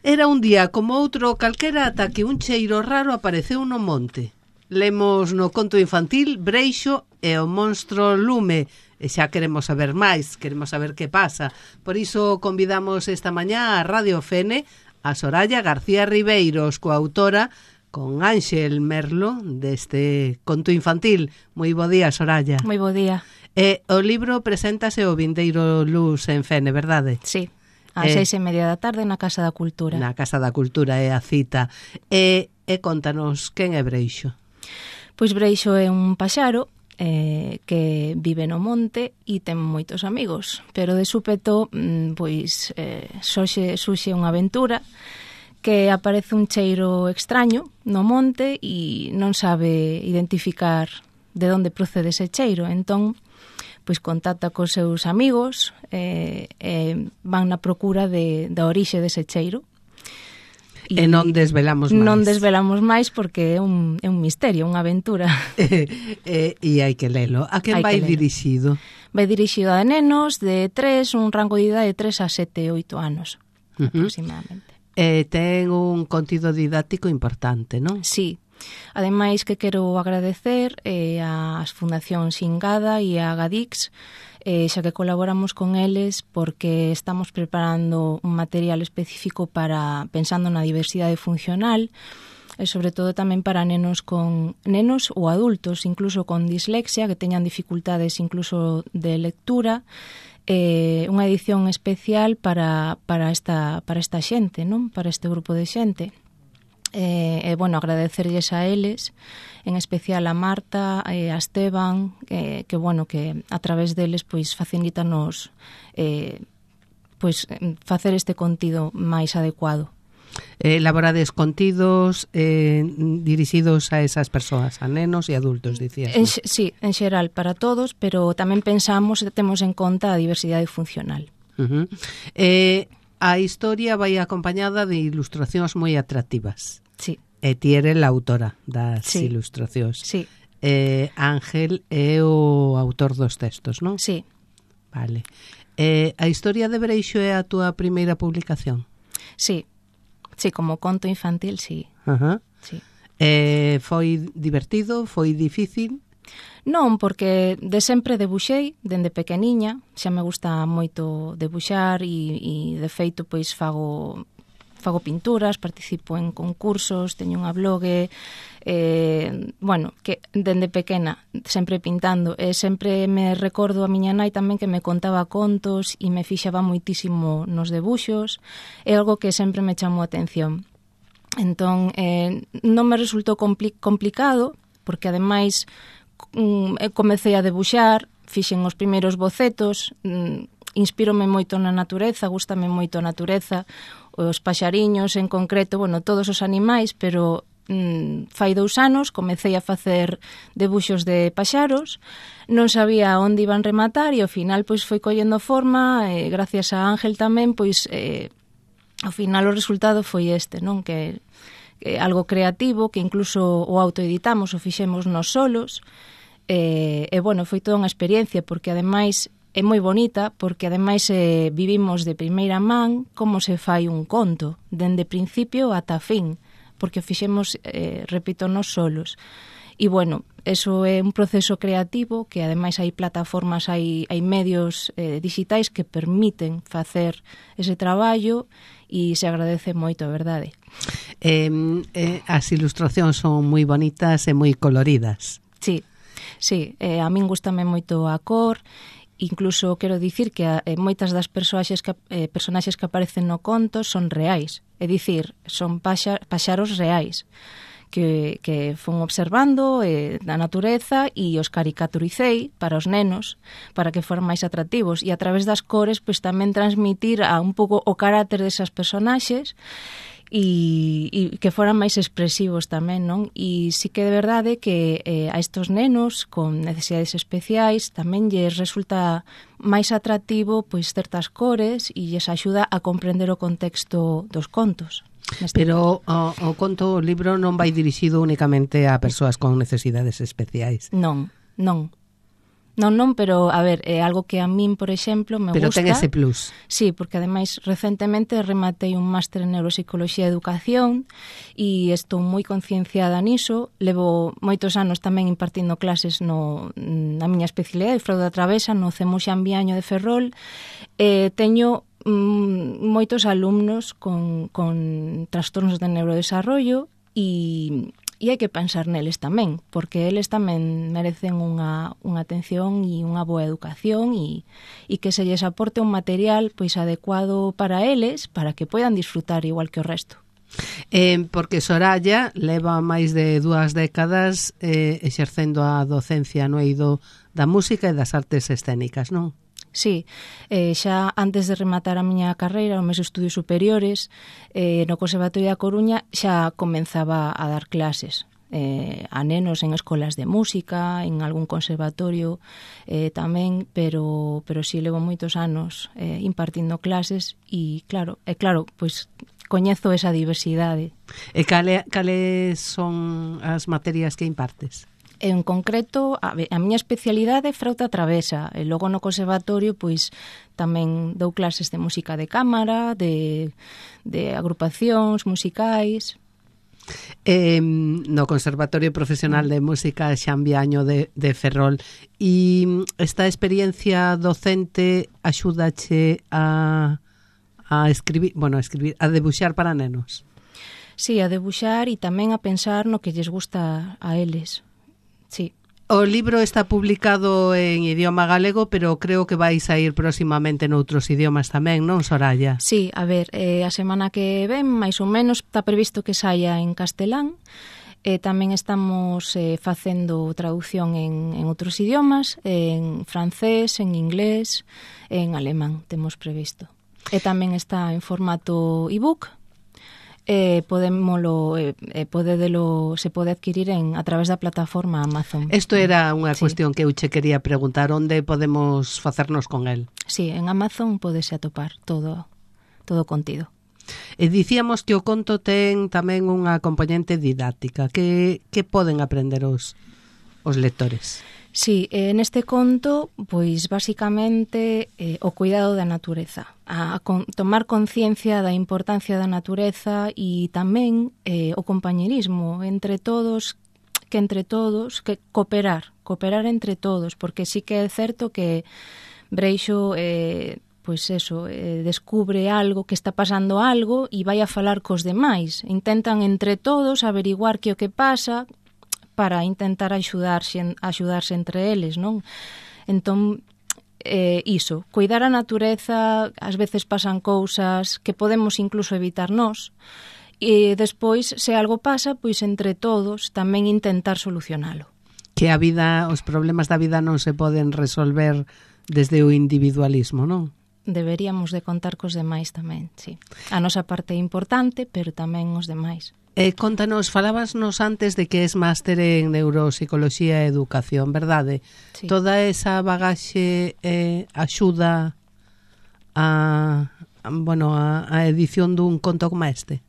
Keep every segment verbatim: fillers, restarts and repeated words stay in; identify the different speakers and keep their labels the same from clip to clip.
Speaker 1: Era un día como outro calquera ata que un cheiro raro apareceu no monte. Lemos no conto infantil Breixo e o monstro lume, e xa queremos saber máis, queremos saber que pasa. Por iso convidamos esta mañá a Radio Fene a Soraya García Ribeiros, coautora con Ánxel Merlo deste conto infantil. Moi bo día, Soraya.
Speaker 2: Moi bo día.
Speaker 1: E o libro preséntase o vindeiro Luz en Fene, verdade?
Speaker 2: Sí, ás seis e media da tarde na Casa da Cultura.
Speaker 1: Na Casa da Cultura é a cita. E, e contanos, quen é Breixo?
Speaker 2: Pois Breixo é un paxaro eh, que vive no monte e ten moitos amigos, pero de súpeto pois eh, xoxe, xuxe unha aventura que aparece un cheiro extraño no monte e non sabe identificar de onde procede ese cheiro. Entón, pois contacta cos seus amigos e eh, eh, van na procura de, da orixe dese cheiro.
Speaker 1: E, e non desvelamos máis.
Speaker 2: Non desvelamos máis porque é un, é un misterio, unha aventura.
Speaker 1: e, e, e hai que lelo. A quen vai dirixido?
Speaker 2: Vai dirixido a nenos de tres, un rango de idade de tres a sete, oito anos, uh-huh. aproximadamente.
Speaker 1: E ten un contido didáctico importante, non?
Speaker 2: Sí. Ademais que quero agradecer eh, ás Fundacións Ingada e a Gadix, eh, xa que colaboramos con eles porque estamos preparando un material específico para pensando na diversidade funcional e sobre todo tamén para nenos con nenos ou adultos, incluso con dislexia, que teñan dificultades incluso de lectura, eh, unha edición especial para, para, esta, para esta xente, non? Para este grupo de xente. E, eh, bueno, agradecerlles a eles, en especial a Marta e a Esteban, eh, que, bueno, que a través deles, pois, facilítanos eh, pois, facer este contido máis adecuado.
Speaker 1: Eh, elaborades contidos eh, dirixidos a esas persoas, a nenos e adultos, dicías.
Speaker 2: En, sí, en xeral para todos, pero tamén pensamos e temos en conta a diversidade funcional.
Speaker 1: Uh-huh. Eh, a historia vai acompañada de ilustracións moi atractivas.
Speaker 2: Sí.
Speaker 1: E ti eres a autora das sí. ilustracións.
Speaker 2: Sí.
Speaker 1: Eh, Ángel é o autor dos textos, non?
Speaker 2: Sí.
Speaker 1: Vale. Eh, a historia de Breixo é a túa primeira publicación?
Speaker 2: Sí. Sí, como conto infantil, sí.
Speaker 1: Ajá.
Speaker 2: Sí.
Speaker 1: Eh, foi divertido? Foi difícil?
Speaker 2: Non, porque de sempre debuxei, dende pequeniña, xa me gusta moito debuxar e, e de feito, pois, fago... fago pinturas, participo en concursos, teño unha blogue, eh, bueno, que dende pequena sempre pintando, e sempre me recordo a miña nai tamén que me contaba contos e me fixaba moitísimo nos debuxos, é algo que sempre me chamou a atención. Entón, eh, non me resultou compli- complicado, porque ademais mm, comecei a debuxar, fixen os primeiros bocetos, mm, inspírome moito na natureza, gústame moito a natureza, os paxariños en concreto, bueno, todos os animais, pero mm, fai dous anos comecei a facer debuxos de paxaros, non sabía onde iban rematar e ao final pois foi collendo forma, e gracias a Ángel tamén, pois eh, ao final o resultado foi este, non? Que, que algo creativo, que incluso o autoeditamos, o fixemos nos solos, e, e bueno, foi toda unha experiencia, porque ademais é moi bonita, porque ademais eh, vivimos de primeira man como se fai un conto, dende principio ata fin, porque o fixemos, eh, repito, nos solos. E, bueno, eso é un proceso creativo que ademais hai plataformas, hai, hai medios eh, digitais que permiten facer ese traballo e se agradece moito, a verdade.
Speaker 1: Eh, eh, as ilustracións son moi bonitas e moi coloridas.
Speaker 2: Sí, sí, eh, a min gustame moito a cor. Incluso quero dicir que eh, moitas das personaxes que, eh, personaxes que aparecen no conto son reais, é dicir, son paxa, paxaros reais que, que fun observando eh, da natureza e os caricaturicei para os nenos, para que foran máis atractivos, e a través das cores pois tamén transmitir a un pouco o carácter desas personaxes e, e que foran máis expresivos tamén, non? E sí que de verdade que eh, a estos nenos con necesidades especiais tamén lles resulta máis atractivo pois certas cores e lles axuda a comprender o contexto dos contos.
Speaker 1: Pero o, o conto, o libro non vai dirixido únicamente a persoas con necesidades especiais.
Speaker 2: Non, non. Non, non, pero, a ver, é algo que a min, por exemplo, me
Speaker 1: pero
Speaker 2: gusta.
Speaker 1: Pero ten ese plus.
Speaker 2: Sí, porque ademais, recentemente rematei un máster en Neuropsicoloxía e Educación e estou moi concienciada niso. Levo moitos anos tamén impartindo clases no, na miña especialidade, fraude travesa, no CEMU Xambiaño de Ferrol. Eh, teño mm, moitos alumnos con, con trastornos de neurodesarrollo e... E hai que pensar neles tamén, porque eles tamén merecen unha, unha atención e unha boa educación e, e que se lles aporte un material pois adecuado para eles, para que poidan disfrutar igual que o resto.
Speaker 1: Eh, porque Soraya leva máis de dúas décadas eh, exercendo a docencia no eido da música e das artes escénicas, non?
Speaker 2: Sí, eh, xa antes de rematar a miña carreira, os meus estudios superiores, eh, no Conservatorio da Coruña xa comenzaba a dar clases eh, a nenos en escolas de música, en algún conservatorio eh, tamén, pero pero si sí, levo moitos anos eh, impartindo clases e claro, é claro, pois coñezo esa diversidade.
Speaker 1: E cale, cales son as materias que impartes?
Speaker 2: En concreto, a, a miña especialidade é frauta travesa, e logo no conservatorio pois tamén dou clases de música de cámara, de, de agrupacións musicais.
Speaker 1: Eh, no Conservatorio Profesional de Música Xambiaño de, de Ferrol, e esta experiencia docente axúdache a, a escribir, bueno, a escribir, a debuxar para nenos?
Speaker 2: Sí, a debuxar e tamén a pensar no que lles gusta a eles. Sí.
Speaker 1: O libro está publicado en idioma galego, pero creo que vai sair próximamente noutros idiomas tamén, non, Soraya?
Speaker 2: Sí, a ver, eh, a semana que ven, máis ou menos, está previsto que saia en castelán. Eh, tamén estamos eh, facendo traducción en, en outros idiomas, en francés, en inglés, en alemán, temos previsto. E tamén está en formato ebook. Eh, podémolo eh, eh, podedelo, se pode adquirir en a través da plataforma Amazon.
Speaker 1: Isto era unha
Speaker 2: sí.
Speaker 1: cuestión que eu che quería preguntar, onde podemos facernos con el?
Speaker 2: Sí, en Amazon podese atopar todo todo o contido.
Speaker 1: E dicíamos que o conto ten tamén unha componente didáctica. Que, que poden aprender os, os lectores?
Speaker 2: Sí, en este conto, pois basicamente eh, o cuidado da natureza, a, a con, tomar conciencia da importancia da natureza e tamén eh, o compañerismo entre todos, que entre todos, que cooperar, cooperar entre todos, porque sí que é certo que Breixo eh, pois eso, eh, descubre algo, que está pasando algo e vai a falar cos demais. Intentan entre todos averiguar que o que pasa para intentar axudarse, axudarse entre eles, non? Entón, eh, iso, cuidar a natureza, ás veces pasan cousas que podemos incluso evitar nós, e despois, se algo pasa, pois entre todos tamén intentar solucionalo.
Speaker 1: Que a vida, os problemas da vida non se poden resolver desde o individualismo, non?
Speaker 2: Deberíamos de contar cos demais tamén, sí. A nosa parte é importante, pero tamén os demais.
Speaker 1: Eh, contanos, falabasnos antes de que es máster en Neuropsicoloxía e Educación, verdade?
Speaker 2: Sí.
Speaker 1: Toda esa bagaxe eh, axuda a, a, bueno, a, a edición dun conto como este?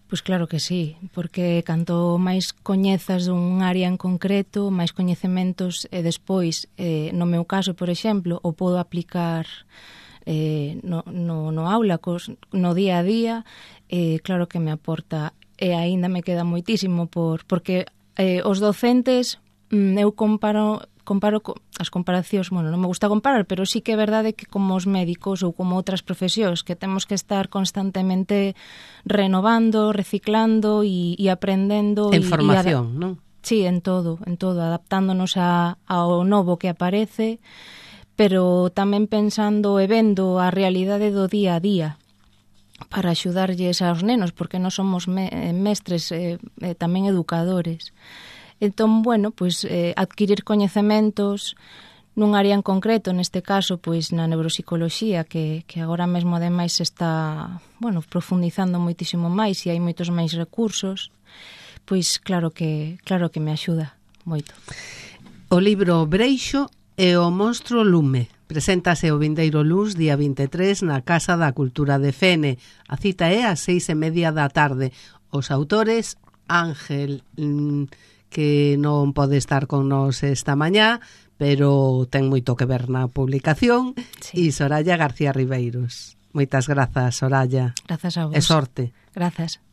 Speaker 2: Pois claro que sí, porque canto máis coñezas dun área en concreto, máis coñecementos e despois, eh, no meu caso, por exemplo, o podo aplicar eh, no, no, no aula, cos, no día a día, eh, claro que me aporta, e aínda me queda moitísimo por porque eh, os docentes mm, eu comparo comparo co, as comparacións, bueno, non me gusta comparar, pero sí que é verdade que como os médicos ou como outras profesións que temos que estar constantemente renovando, reciclando e, e aprendendo
Speaker 1: en
Speaker 2: e,
Speaker 1: formación,
Speaker 2: e
Speaker 1: non?
Speaker 2: Sí, en todo, en todo, adaptándonos a, ao novo que aparece, pero tamén pensando e vendo a realidade do día a día, para axudarlles aos nenos, porque non somos me, mestres, eh, eh, tamén educadores. Entón, bueno, pois eh, adquirir coñecementos nun área en concreto, neste caso, pois na neuropsicoloxía, que, que agora mesmo ademais se está, bueno, profundizando moitísimo máis e hai moitos máis recursos, pois claro que claro que me axuda moito.
Speaker 1: O libro Breixo e o monstro lume. Preséntase o vindeiro luns, día vinte e tres, na Casa da Cultura de Fene. A cita é ás seis e media da tarde. Os autores, Ángel, que non pode estar con nós esta mañá, pero ten moito que ver na publicación.
Speaker 2: Sí.
Speaker 1: E Soraya García Ribeiros. Moitas grazas, Soraya.
Speaker 2: Grazas a vos.
Speaker 1: E sorte.
Speaker 2: Grazas.